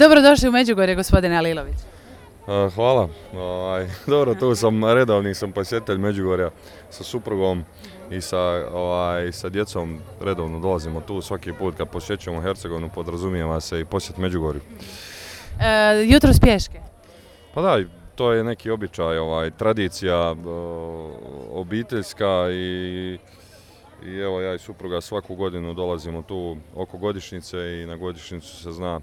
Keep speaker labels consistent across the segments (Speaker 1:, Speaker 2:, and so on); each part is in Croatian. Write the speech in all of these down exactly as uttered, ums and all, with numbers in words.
Speaker 1: Dobrodošli u Međugorje, gospodine Alilović.
Speaker 2: Uh, hvala. Ovaj, dobro, tu sam redovni sam posjetitelj Međugorja sa suprugom i sa, ovaj, sa djecom. Redovno dolazimo tu svaki put kad posjećujemo Hercegovinu, podrazumijeva se i posjet Međugorju.
Speaker 1: E, jutros pješke?
Speaker 2: Pa da, to je neki običaj, ovaj, tradicija o, obiteljska i, i evo ja i supruga svaku godinu dolazimo tu oko godišnjice i na godišnjicu se zna,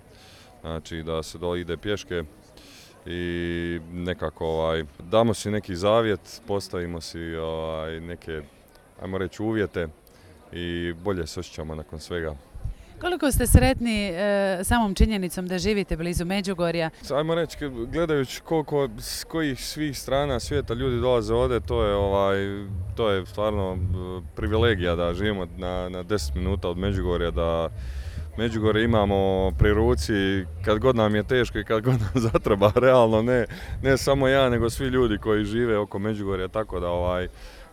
Speaker 2: znači, da se do ide pješke i nekako ovaj, damo si neki zavjet, postavimo si ovaj, neke, ajmo reći, uvjete i bolje se osjećamo nakon svega.
Speaker 1: Koliko ste sretni e, samom činjenicom da živite blizu Međugorja?
Speaker 2: Ajmo reći, gledajući koliko s kojih svih strana svijeta ljudi dolaze ovdje, to je, ovaj, to je stvarno privilegija da živimo na, na deset minuta od Međugorja, da Međugorje imamo pri ruci kad god nam je teško i kad god nam zatreba, realno ne, ne samo ja nego svi ljudi koji žive oko Međugorja, tako da ovaj,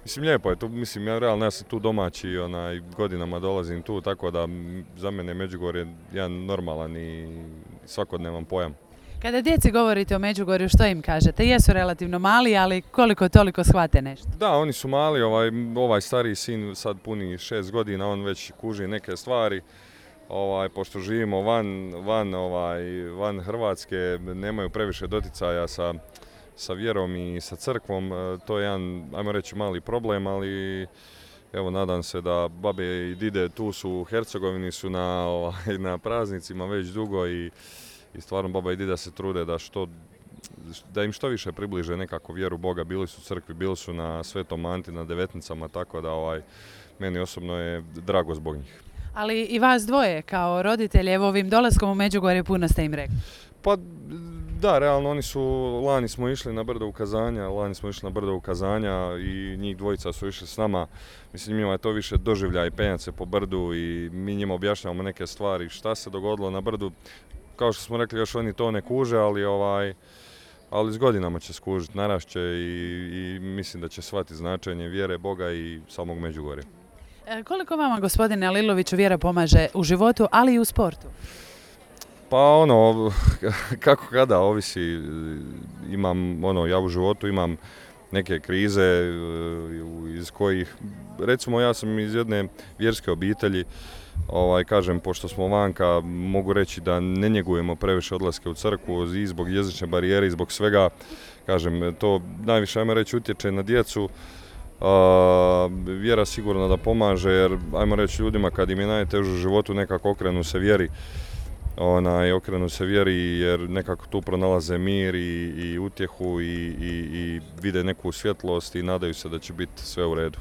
Speaker 2: mislim lijepo je tu, mislim ja realno ja sam tu domaći, onaj, godinama dolazim tu, tako da za mene Međugorje jedan normalan i svakodnevan pojam.
Speaker 1: Kada djeci govorite o Međugorju, što im kažete? Jesu relativno mali, ali koliko toliko shvate nešto?
Speaker 2: Da, oni su mali, ovaj, ovaj stariji sin sad puni šest godina, on već kuži neke stvari. Ovaj, pošto živimo van, van, ovaj, van Hrvatske, nemaju previše doticaja sa, sa vjerom i sa crkvom, to je jedan, ajmo reći, mali problem, ali evo nadam se da babe i dide tu su u Hercegovini, su na, ovaj, na praznicima već dugo i, i stvarno baba i dida se trude da, što, da im što više približe nekako vjeru Boga. Bili su u crkvi, bili su na Svetom Anti, na devetnicama, tako da ovaj, meni osobno je drago zbog njih.
Speaker 1: Ali i vas dvoje kao roditelji, evo ovim dolaskom u Međugorje puno ste im rekli.
Speaker 2: Pa da, realno oni su, lani smo išli na brdo ukazanja, lani smo išli na brdo ukazanja i njih dvojica su išli s nama. Mislim, njima je to više doživljaj penjat se po brdu i mi njima objašnjavamo neke stvari, šta se dogodilo na brdu. Kao što smo rekli, još oni to ne kuže, ali ovaj, ali s godinama će skužiti, narašće i, i mislim da će shvatiti značenje vjere Boga i samog Međugorja.
Speaker 1: Koliko vama, gospodine Aliloviću, vjera pomaže u životu, ali i u sportu?
Speaker 2: Pa ono, kako kada, ovisi, imam, ono, ja u životu imam neke krize iz kojih, recimo ja sam iz jedne vjerske obitelji, ovaj, kažem, pošto smo vanka, mogu reći da ne njegujemo previše odlaske u crkvu i zbog jezične barijere i zbog svega, kažem, to najviše, ajmo reći, utječe na djecu. Uh, vjera sigurno da pomaže, jer ajmo reći ljudima kad im je najteže u životu nekako okrenu se vjeri, onaj, okrenu se vjeri jer nekako tu pronalaze mir i, i utjehu i, i, i vide neku svjetlost i nadaju se da će biti sve u redu.